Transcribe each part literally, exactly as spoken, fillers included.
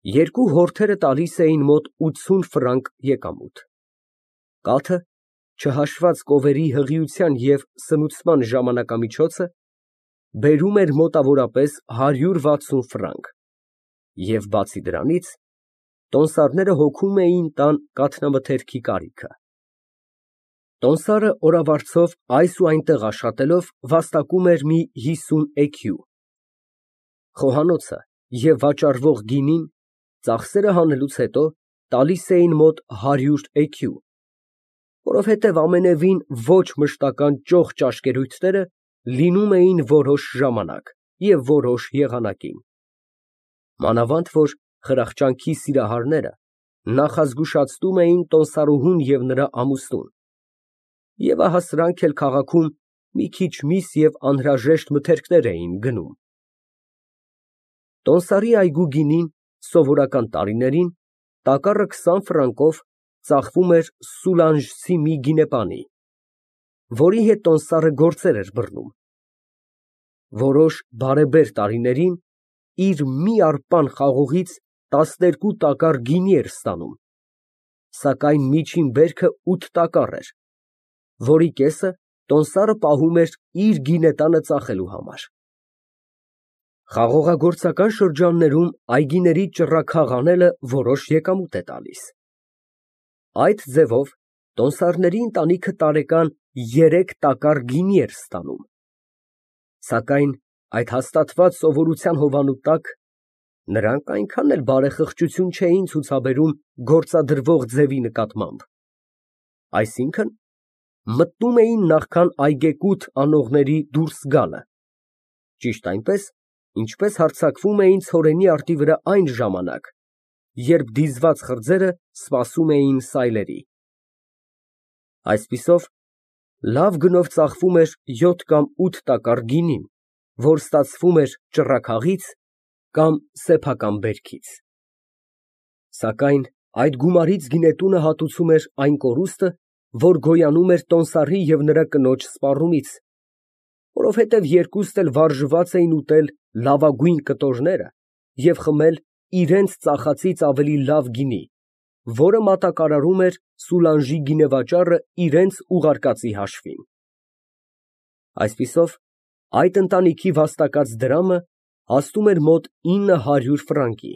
Երկու հորթերը տալիս էին մոտ ութսուն ֆրանկ եկամուտ։ Կաթը, չհաշված կովերի հղիության և սնուցման ժամանակամիջոցը, բերում էր մոտավորապես հարյուր վաթսուն ֆրանկ, և բացի դրանից, տոմսարները հոգում էին տան կաթնամթերքի կարիքը։ Տոմսարը օրավարձով այս ու այնտեղ աշխատելով վաստակում էր մի հիսուն էքյու։ Խոհանոցը և վաճառվող գինին, ծախսերը հանելուց հետո, տալիս էին մոտ հարյուր էքյու, որովհետև ամենևին ոչ մշտական ճոխ ճաշկերույթները լինում էին որոշ ժամանակ և որոշ եղանակին, մանավանդ որ խրախճանքի սիրահարները նախազգուշացնում էին տոմսարուհուն և նրա ամուսնուն, և ահա սրանք էլ քաղաքում մի քիչ միս և անհրաժեշտ մթերքներ էին գնում։ Տոմսարի այգու գինին սովորական տարիներին տակառը քսան ֆրանկով ծախվում էր սուլանժցի մի գինեպանի, որի հետ տոմսարը գործեր էր բռնում։ Որոշ բարեբեր տարիներին իր մի արպան խաղողից տասներկու տակառ գինի էր ստանում, սակայն միջին բերքը ութ տակառ էր, որի կեսը տոմսարը պահում էր իր գինետանը ծախելու համար։ Խաղողագործական շրջաններում այգիների ճռռաքաղ անելը որոշ եկամուտ է տալիս։ Այդ ձևով տոմսարների ընտանիքը տարեկան երեք տակառ գինի էր ստանում, սակայն այդ հաստատված սովորության հովանու տակ նրանք այնքան էլ բարեխղճություն չէին ցուցաբերում գործադրվող ձևի նկատմամբ, այսինքն՝ մտնում էին նախքան այգեկութ անողների դուրս գալը, ճիշտ այնպես, ինչպես հարձակվում էին ցորենի արտի վրա այն ժամանակ, երբ դիզված խրձերը սպասում էին սայլերի։ Այսպիսով, լավ գնով ծախվում էր յոթ կամ ութ տակառ գինին, որ ստացվում էր ճռռաքաղից կամ սեփական բերքից։ Սակայն այդ գումարից գինետունը հատուցում էր այն կորուստը, որ գոյանում էր տոմսարի և նրա կնոջ սպառումից, որովհետև երկուստ էլ վարժված էին ուտել լավագույն կտորները և խմել իրենց ծախածից ավելի լավ գինի, որը մատակարարում էր Սուլանժի գինեվաճառը իրենց ուղարկածի հաշվին։ Այսպիսով, այդ ընտանիքի վաստակած դրամը հասնում էր մոտ ինը հարյուր ֆրանկի,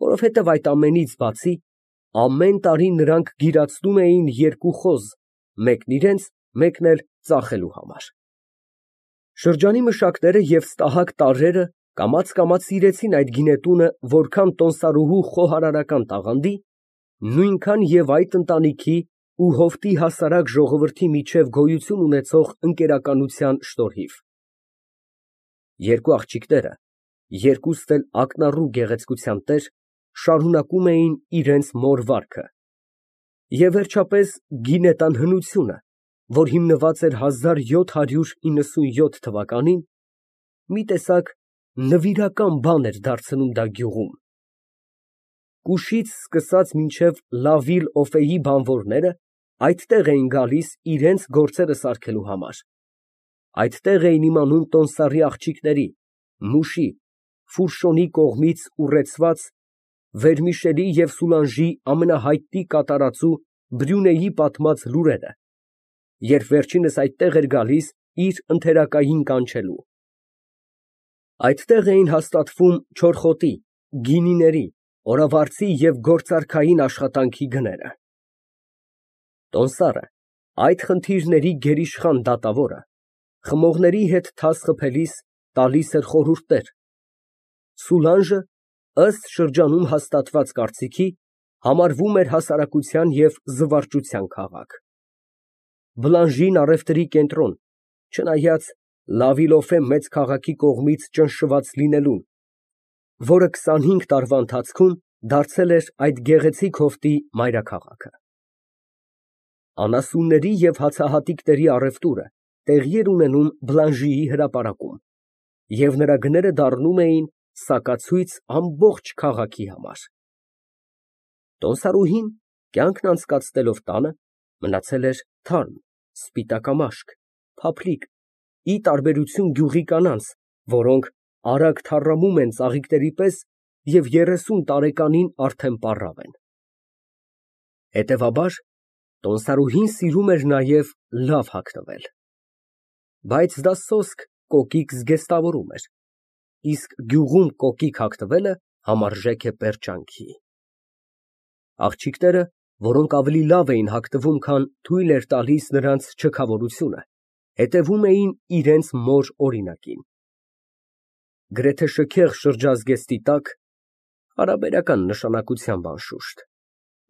որովհետև այդ ամենից բացի, ամեն տարի նրանք գիրացնում էին երկու խոզ, մեկն իրենց, մեկն էլ ծախելու համար։ Շրջանի մշակները և ստահակ տարրերը կամաց֊կամաց սիրեցին այդ գինետունը որքան տոմսարուհու խոհարարական տաղանդի, նույնքան և այդ ընտանիքի ու հովտի հասարակ ժողովրդի միջև գոյություն ունեցող ընկերականության շնորհիվ։ Երկու աղջիկները, երկուստ էլ ակնառու գեղեցկության տեր, շարունակում էին իրենց մոր վարքը, և վերջապես գինետան հնությունը, որ հիմնված էր հազար յոթ հարյուր իննսունյոթ թվականին, մի տեսակ նվիրական բան էր դարձնում դա գյուղում։ Կուշից սկսած մինչև Լավիլ֊Օֆեի բանվորները այդտեղ էին գալիս իրենց գործերը սարքելու համար, այդտեղ էին իմանում տոմսարի աղջիկների, Մուշի, Ֆուրշոնի կողմից ուռեցված Վերմիշելի և Սուլանժի ամենահայտնի կատարածու Բրյունեի պատմած լուրերը, երբ վերջինս այդտեղ էր գալիս իր ընթերակային կանչելու։ Այդտեղ էին հաստատվում չորխոտի, գինիների, օրավարձի և գործարքային աշխատանքի գները։ Տոմսարը, այդ խնդիրների գերիշխան դատավորը, խմողների հետ թաս խփելիս տալիս էր խորհուրդներ, Սուլանժը, ըստ շրջանում հաստատված կարծիքի, համարվում էր հասարակության և զվարճության քաղաք, Բլանժին առևտրի կենտրոն, չնայած Լավիլոֆե մեծ քաղաքի կողմից ճնշված լինելուն, որը քսանհինգ տարվա ընթացքում դարձել էր այդ գեղեցիկ հովտի մայրաքաղաքը։ Անասունների և հացահատիկների առևտուրը տեղի էր ունենում Բլանժիի հրապարակում, և նրա գները դառնում էին սակացույց ամբողջ քաղաքի համար։ Տոմսարուհին, կյանքն անցկացնելով տանը, մնացել էր թարմ, սպիտակամաշկ, փափլիկ, ի տարբերություն գյուղի կանանց, որոնք արագ թառամում են ծաղիկների պես և երեսուն տարեկանին արդեն պառավ են։ Հետևաբար, տոմսարուհին սիրում էր նաև լավ հագնվել։ Բայց դա սոսկ կոկիկ զգեստավորում էր, իսկ գյուղում կոկիկ հագնվելը համարժեք է պերճանքի։ Աղջիկները, որոնք ավելի լավ էին հագնվում, քան թույլ էր տալիս նրանց չքավորությունը, հետևում էին իրենց մոր օրինակին։ Գրեթե շքեղ շրջազգեստի տակ (հարաբերական նշանակությամբ, անշուշտ)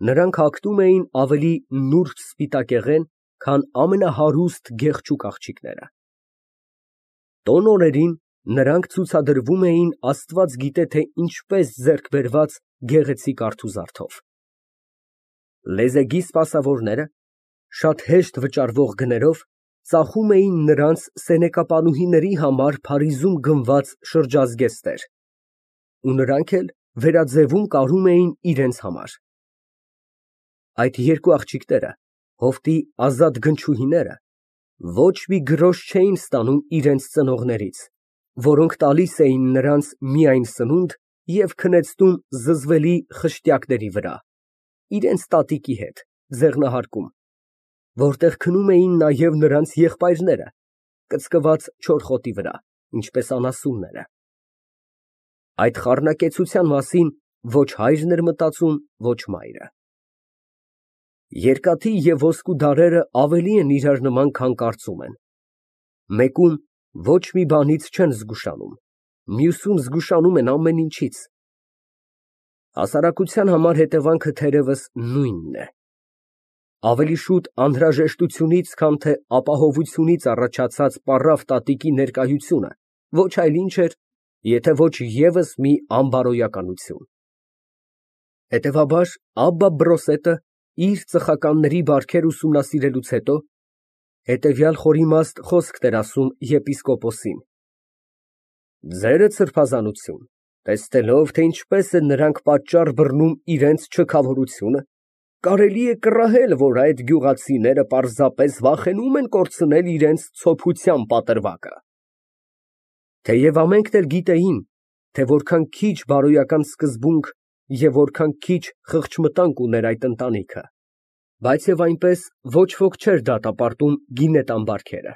նրանք հագնում էին ավելի նուրբ սպիտակեղեն, քան ամենահարուստ գեղեցիկ աղջիկները։ Տոն օրերին նրանք ցուցադրվում էին աստված գիտե թե ինչպես ձեռք բերված գեղեցիկ արթուզարդով։ Լեզեգի սպասավորները շատ հեշտ վճարվող գներով ծախում էին նրանց սենեկապանուհիների համար Փարիզում գնված շրջազգեստներ, ու նրանք էլ վերաձևում կարում էին իրենց համար։ Այդ երկու աղջիկները, հովտի ազատ գնչուհիները, ոչ մի գրոշ չէին ստանում իրենց ծնողներից, որոնք տալիս էին նրանց միայն սնունդ և քնեցնում զզվելի խշտյակների վրա, իրենց տատիկի հետ, ձեղնահարկում, որտեղ քնում էին նաև նրանց եղբայրները, կծկված չոր խոտի վրա, ինչպես անասունները։ Այդ խառնակեցության մասին ոչ հայրն էր մտածում, ոչ մայրը։ Երկաթի և ոսկու դարերը ավելի են իրար նման, քան կարծում են։ Մեկում ոչ մի բանից չեն զգուշանում, մյուսում զգուշանում են ամեն ինչից։ Հասարակության համար հետևանքը թերևս նույնն է։ Ավելի շուտ անհրաժեշտությունից, քան թե ապահովությունից առաջացած պառավ տատիկի ներկայությունը ոչ այլ ինչ էր, եթե ոչ ևս մի անբարոյականություն։ Հետևաբար Աբբա Բրոսետը իր ծխականների բարքեր ուսումնասիրելուց հետո հետևյալ խորիմաստ խոսքն էր ասում եպիսկոպոսին. Ձերը սրբազանություն, տեսնելով, թե ինչպես են նրանք պատճառ բռնում իրենց չքավորությունը, կարելի է կռահել, որ այդ գյուղացիները պարզապես վախենում են կորցնել իրենց ցոփության պատրվակը։ Թեև ամենքն էլ գիտեին, թե որքան քիչ բարոյական սկզբունք և որքան քիչ խղճմտանք ուներ այդ ընտանիքը, բայց և այնպես ոչ ոք չէր դատապարտում գինետան բարքերը։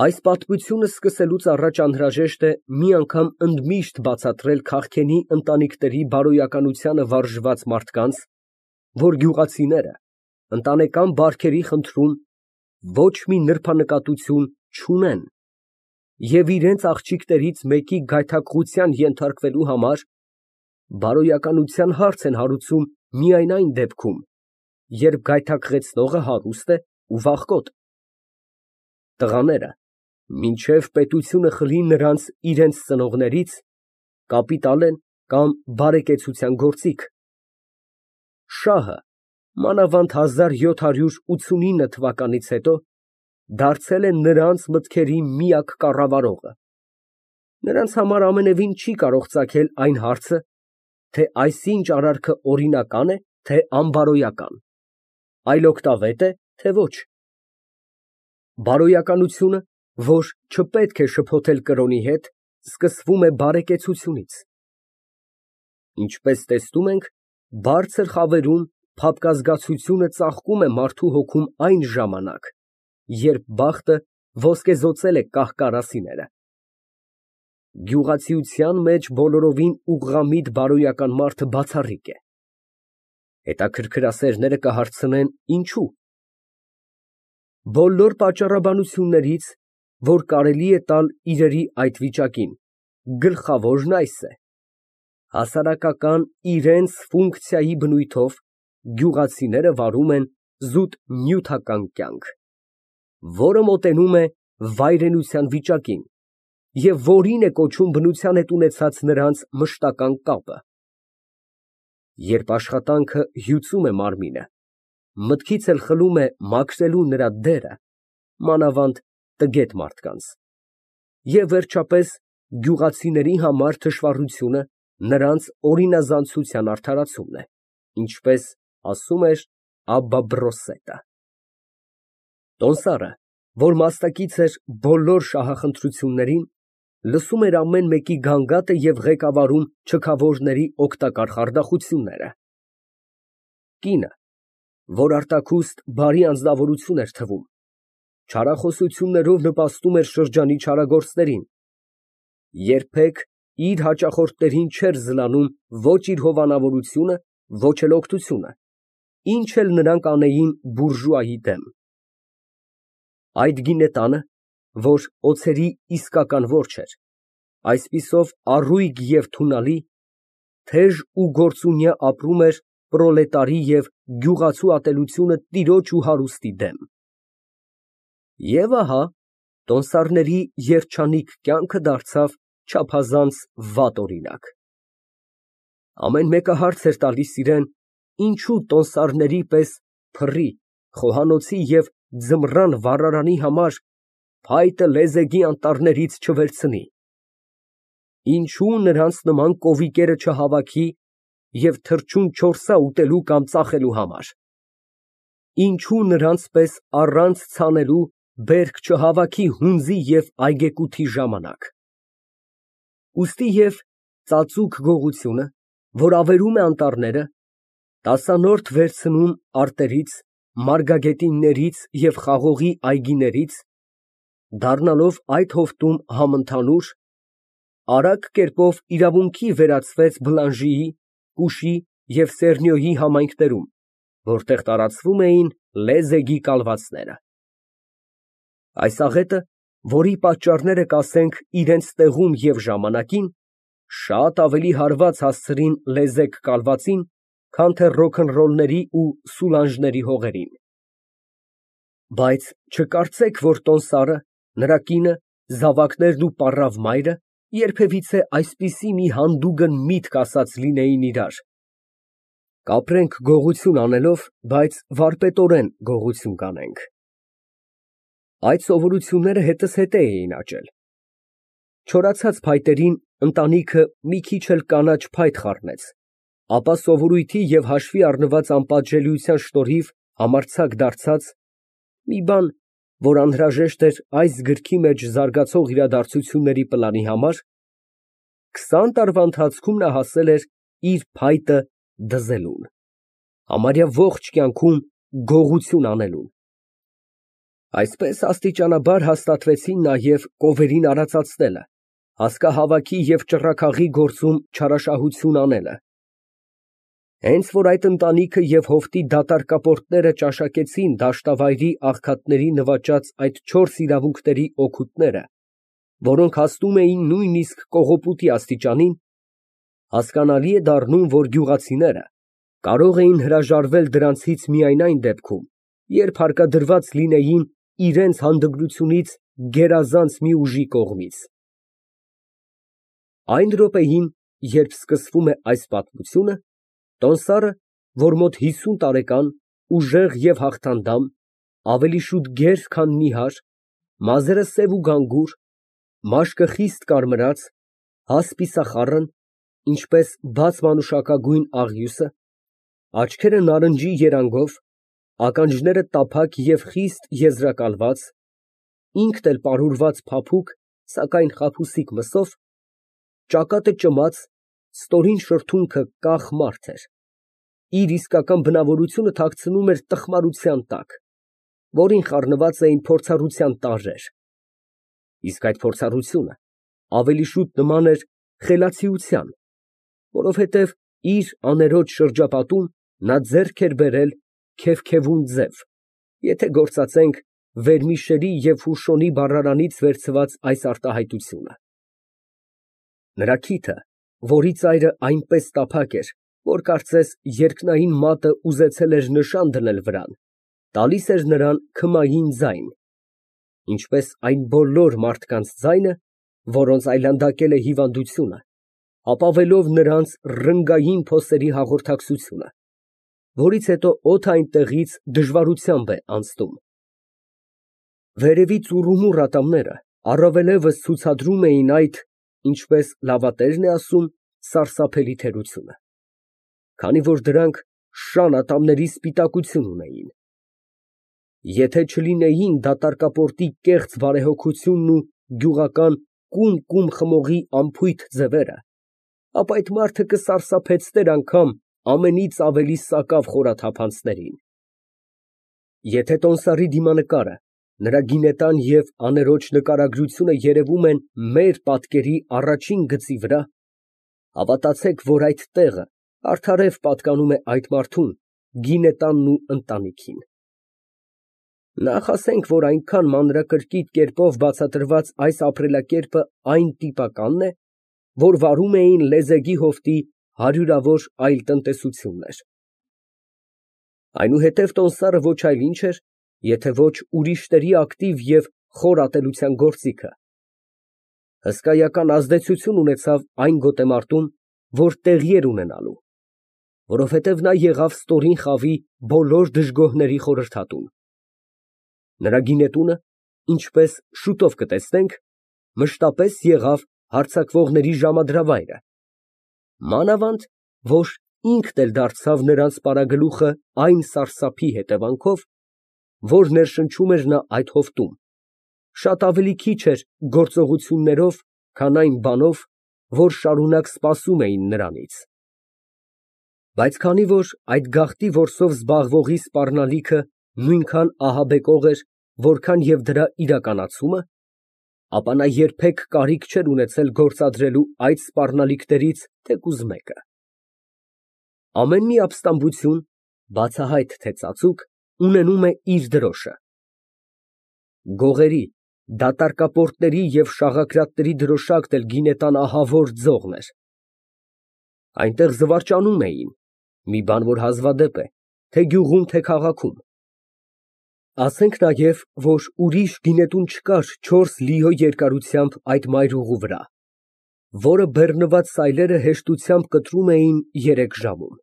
Այս պատմությունը սկսելուց առաջ անհրաժեշտ է մի անգամ ընդմիշտ բացատրել քաղքենի ընտանիքների բարոյականությանը վարժված մարդկանց, որ գյուղացիները ընտանեկան բարքերի խնդրում ոչ մի նրբանկատություն չունեն և իրենց աղջիկներից մեկի գայթակղության ենթարկվելու համար բարոյականության հարց են հարուցում միայն այն դեպքում, երբ գայթակղեցնողը հարուստ է ու վախկոտ։ Տղաները, մինչև պետությունը խլի նրանց իրենց ծնողներից, կապիտալ են կամ բարեկեցության գործիք։ Շահը, մանավանդ հազար յոթ հարյուր ութսունինը թվականից հետո, դարձել է նրանց մտքերի միակ կառավարողը։ Նրանց համար ամենևին չի կարող ծագել այն հարցը, թե այսինչ արարքը օրինական է, թե անբարոյական, այլօգտավե՞տ է, թե ոչ։ Բարոյականությունը, որ չպետք է շփոթել կրոնի հետ, սկսվում է բարեկեցությունից։ Ինչպես տեսնում ենք, բարձր խավերում փափկազգացությունը ծաղկում է մարդու հոգում այն ժամանակ, երբ բախտը ոսկեզօծել է կահ֊կարասիները։ Գյուղացիության մեջ բոլորովին ուղղամիտ բարոյական մարդը բացառիկ է։ Հետաքրքրասերները կհարցնեն՝ ինչո՞ւ։ Բոլոր պատճառաբանություններից, որ կարելի է տալ իրերի այդ վիճակին, գլխավորն այս է. հասարակական իրենց ֆունկցիայի բնույթով գյուղացիները վարում են զուտ նյութական կյանք, որը մոտենում է վայրենության վիճակին և որին է կոչում բնության հետ ունեցած նրանց մշտական կապը։ Երբ աշխատանքը հյուծում է մարմինը, մտքից էլ խլում է մաքրելու նրա դերը, մանավանդ տգետ մարդկանց, և վերջապես գյուղացիների համար թշվառությունը նրանց օրինազանցության արդարացումն է, ինչպես ասում էր Աբբա Բրոսետը։ Տոմսարը, որ մասնակից էր բոլոր շահախնդրություններին, լսում էր ամեն մեկի գանգատը և ղեկավարում չքավորների օգտակար խարդախությունները։ Կինը, որ արտաքուստ բարի անձնավորություն էր թվում, չարախոսություններով նպաստում էր շրջանի չարագործներին, երբեք իր հաճախորդներին չէր զլանում ոչ իր հովանավորությունը, ոչ էլ օգնությունը, ինչ էլ նրանք անեին բուրժուայի դեմ։ Այդ գինետանը, որ օձերի իսկական որջ էր, այսպիսով առույգ և թունալի, թեժ ու գործունյա ապրում էր պրոլետարի և գյուղացու ատելությունը տիրոջ ու հարուստի դեմ։ Եվ ահա տոնսարների երջանիկ կյանքը դարձավ չափազանց վատ օրինակ։ Ամեն մեկը հարց էր տալիս իրան, ինչու տոնսարների պես փռի, խոհանոցի և ձմռան վառարանի համար փայտը լեզեգի անտառներից չվերցնի, ինչու նրանց նման կովիկերը չհավաքի և թռչուն չորսա ուտելու կամ ծախելու համար, ինչու նրանց պես առանց ցանելու բերք չհավաքի հունձի և այգեկութի ժամանակ։ Ուստի և ծածուկ գողությունը, որ ավերում է անտառները, տասանորդ վերցնում արտերից, մարգագետիններից և խաղողի այգիներից, դառնալով այդ հովտում համընդհանուր, արագ կերպով իրավունքի վերածվեց Բլանժիի, Կուշի և Սեռնյոյի համայնքներում, որտեղ տարածվում էին լեզեգի կալվածները։ Այս աղետը, որի պատճառները կասենք իրենց տեղում և ժամանակին, շատ ավելի հարված հասցրին լեզեգ կալվածին, քան թե ռոքնռոլների ու սուլանժների հողերին։ Բայց չկարծեք, որ տոնսարը, նրա կինը, զավակներն ու պառավ մայրը երբևիցե այսպիսի մի հանդուգն միտք ասած լինեին իրար. «Կապրենք գողություն անելով, բայց վարպետորեն գողություն կանենք»։ Այդ սովորությունները հետզհետե էին աճել։ Չորացած փայտերին ընտանիքը մի քիչ էլ կանաչ փայտ խառնեց, ապա սովորույթի և հաշվի առնված անպատժելիության շնորհիվ համարձակ դարձած, մի բան, որ անհրաժեշտ էր այս գրքի մեջ զարգացող իրադարձությունների պլանի համար, քսան տարվա ընթացքում նա հասել էր իր փայտը դզելուն, համարյա ողջ կյանքում գողություն անելուն։ Այսպես աստիճանաբար հաստատվեցին նաև կովերին արածացնելը, հասկահավաքի և ճռռագաղի գործում չարաշահություն անելը։ Հենց որ այդ ընտանիքը և հովտի դատարկապորտները ճաշակեցին դաշտավայրի աղքատների նվաճած այդ չորս իրավունքների օգուտները, որոնք հասնում էին նույնիսկ կողոպուտի աստիճանին, հասկանալի է դառնում, որ գյուղացիները կարող էին հրաժարվել դրանցից միայն այն դեպքում, երբ հարկադրված լինեին իրենց հանդգնությունից գերազանց մի ուժի կողմից։ Այն րոպեին, երբ սկսվում է այս պատմությունը, տոնսարը, որ մոտ հիսուն տարեկան, ուժեղ և հաղթանդամ, ավելի շուտ գեր, քան նիհար, մազերը սև ու գանգուր, մաշկը խիստ կարմրած, հասպիսախառն, ինչպես բաց մանուշակագույն աղյուսը, աչքերը նարնջի երանգով, ականջները տափակ և խիստ եզրակալված, ինքն էլ պարուրված փափուկ, սակայն խաբուսիկ մսով, ճակատը ճմած, ստորին շրթունքը կախ մարդ էր, իր իսկական բնավորությունը թաքցնում էր տխմարության տակ, որին խառնված էին փորձառության տարրեր, իսկ այդ փորձառությունը ավելի շուտ նման էր խելացիության, որովհետև իր աներոջ շրջապատում նա ձեռք էր բերել քևքևուն ձև, եթե գործածենք Վերմիշերի և Ֆուշոնի բառարանից վերցված այս արտահայտությունը։ Նրա քիթը, որի ծայրը այնպես տափակ էր, որ կարծես երկնային մատը ուզեցել էր նշան դնել վրան, տալիս էր նրան քմային ձայն, ինչպես այն բոլոր մարդկանց ձայնը, որոնց այլանդակել է հիվանդությունը, ապավելով նրանց ռնգային փոսերի հաղորդակցությունը, որից հետո օդը այնտեղից դժվարությամբ է անցնում։ Վերևի ծուռումուռ ատամները առավելևս ցուցադրում էին այդ, ինչպես լավատերն է ասում, սարսափելի թերությունը, քանի որ դրանք շան ատամների սպիտակություն ունեին։ Եթե չլինեին դատարկապորտի կեղծ բարեհոգությունն ու գյուղական կում֊կում խմողի անփույթ ձևերը, ապա այդ մարդը կսարսափեցներ անգամ ամենից ավելի սակավ խորաթափանցներին։ Եթե տոմսարի դիմանկարը, նրա գինետան և աներոջ նկարագրությունը երևում են մեր պատկերի առաջին գծի վրա, հավատացեք, որ այդ տեղը արդարև պատկանում է այդ մարդուն, գինետանն ու ընտանիքին։ Նախ ասենք, որ այնքան մանրակրկիտ կերպով բացատրված այս ապրելակերպը այն տիպականն է, որ վարում էին լեզեգի հովտի հարյուրավոր այլ տնտեսություններ։ Այնուհետև տոմսարը ոչ այլ ինչ էր, եթե ոչ ուրիշների ակտիվ և խոր ատելության գործիքը։ Հսկայական ազդեցություն ունեցավ այն գոտեմարտում, որ տեղի էր ունենալու, որովհետև նա եղավ ստորին խավի բոլոր դժգոհների խորհրդատուն։ Նրա գինետունը, ինչպես շուտով կտեսնենք, մշտապես եղավ հարձակվողների ժամադրավայրը, մանավանդ որ ինքն էլ դարձավ նրանց պարագլուխը այն սարսափի հետևանքով, որ ներշնչում էր նա այդ հովտում, շատ ավելի քիչ էր գործողություններով, քան այն բանով, որ շարունակ սպասում էին նրանից։ Բայց քանի որ այդ գաղտնի որսով զբաղվողի սպառնալիքը նույնքան ահաբեկող էր, որքան և դրա իրականացումը, ապա նա երբեք կարիք չէր ունեցել գործադրելու այդ սպառնալիքներից թեկուզ մեկը։ Ամեն մի ապստամբություն, բացահայտ թե ծածուկ, ունենում է իր դրոշը։ Գողերի, դատարկապորտների և շաղակրատների դրոշակն էլ գինետան ահավոր ձողն էր։ Այնտեղ զվարճանում էին, մի բան, որ հազվադեպ է, թե գյուղում, թե քաղաքում։ Ասենք նաև, որ ուրիշ գինետուն չկար չորս լիո երկարությամբ այդ մայրուղու վրա, որը բեռնված սայլերը հեշտությամբ կտրում էին երեք ժամում։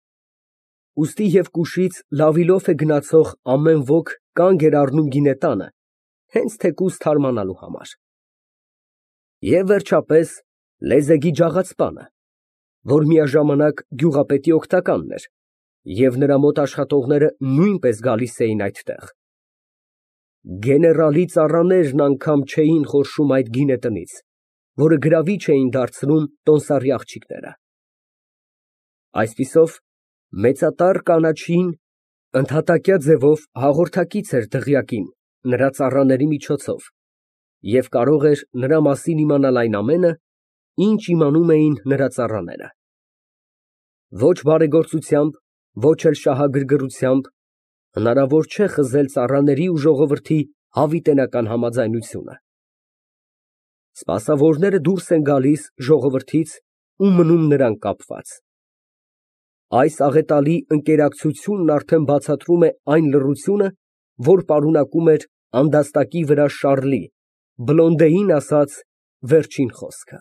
Ուստի և կուշից լավիլոֆ է գնացող ամեն ոք կանգ էր առնում գինետանը, հենց թեկուզ թարմանալու համար։ Եվ վերջապես, լեզեգի ջաղացպանը, որ միաժամանակ գյուղապետի օգնականն էր, և նրա մոտ աշխատողները նույնպես գալիս էին այդտեղ։ Գեներալի ծառաներն անգամ չէին խորշում այդ գինետնից, որը գրավիչ էին դարձնում տոմսարի աղջիկները։ Այսպիսով, մեծատառ կանաչին ընդհատակյա ձևով հաղորդակից էր դղյակին նրա ծառաների միջոցով և կարող էր նրա մասին իմանալ այն ամենը, ինչ իմանում էին նրա ծառաները։ Ոչ բարեգործությամբ, ոչ էլ շահագրգռությամբ հնարավոր չէ խզել ծառաների ու ժողովրդի հավիտենական համաձայնությունը։ Սպասավորները դուրս են գալիս ժողովրդից ու մնում նրան կապված։ Այս աղետալի ընկերակցությունն արդեն բացատրում է այն լռությունը, որ պարունակում էր անդաստակի վրա Շառլի, Բլոնդեին ասած վերջին խոսքը։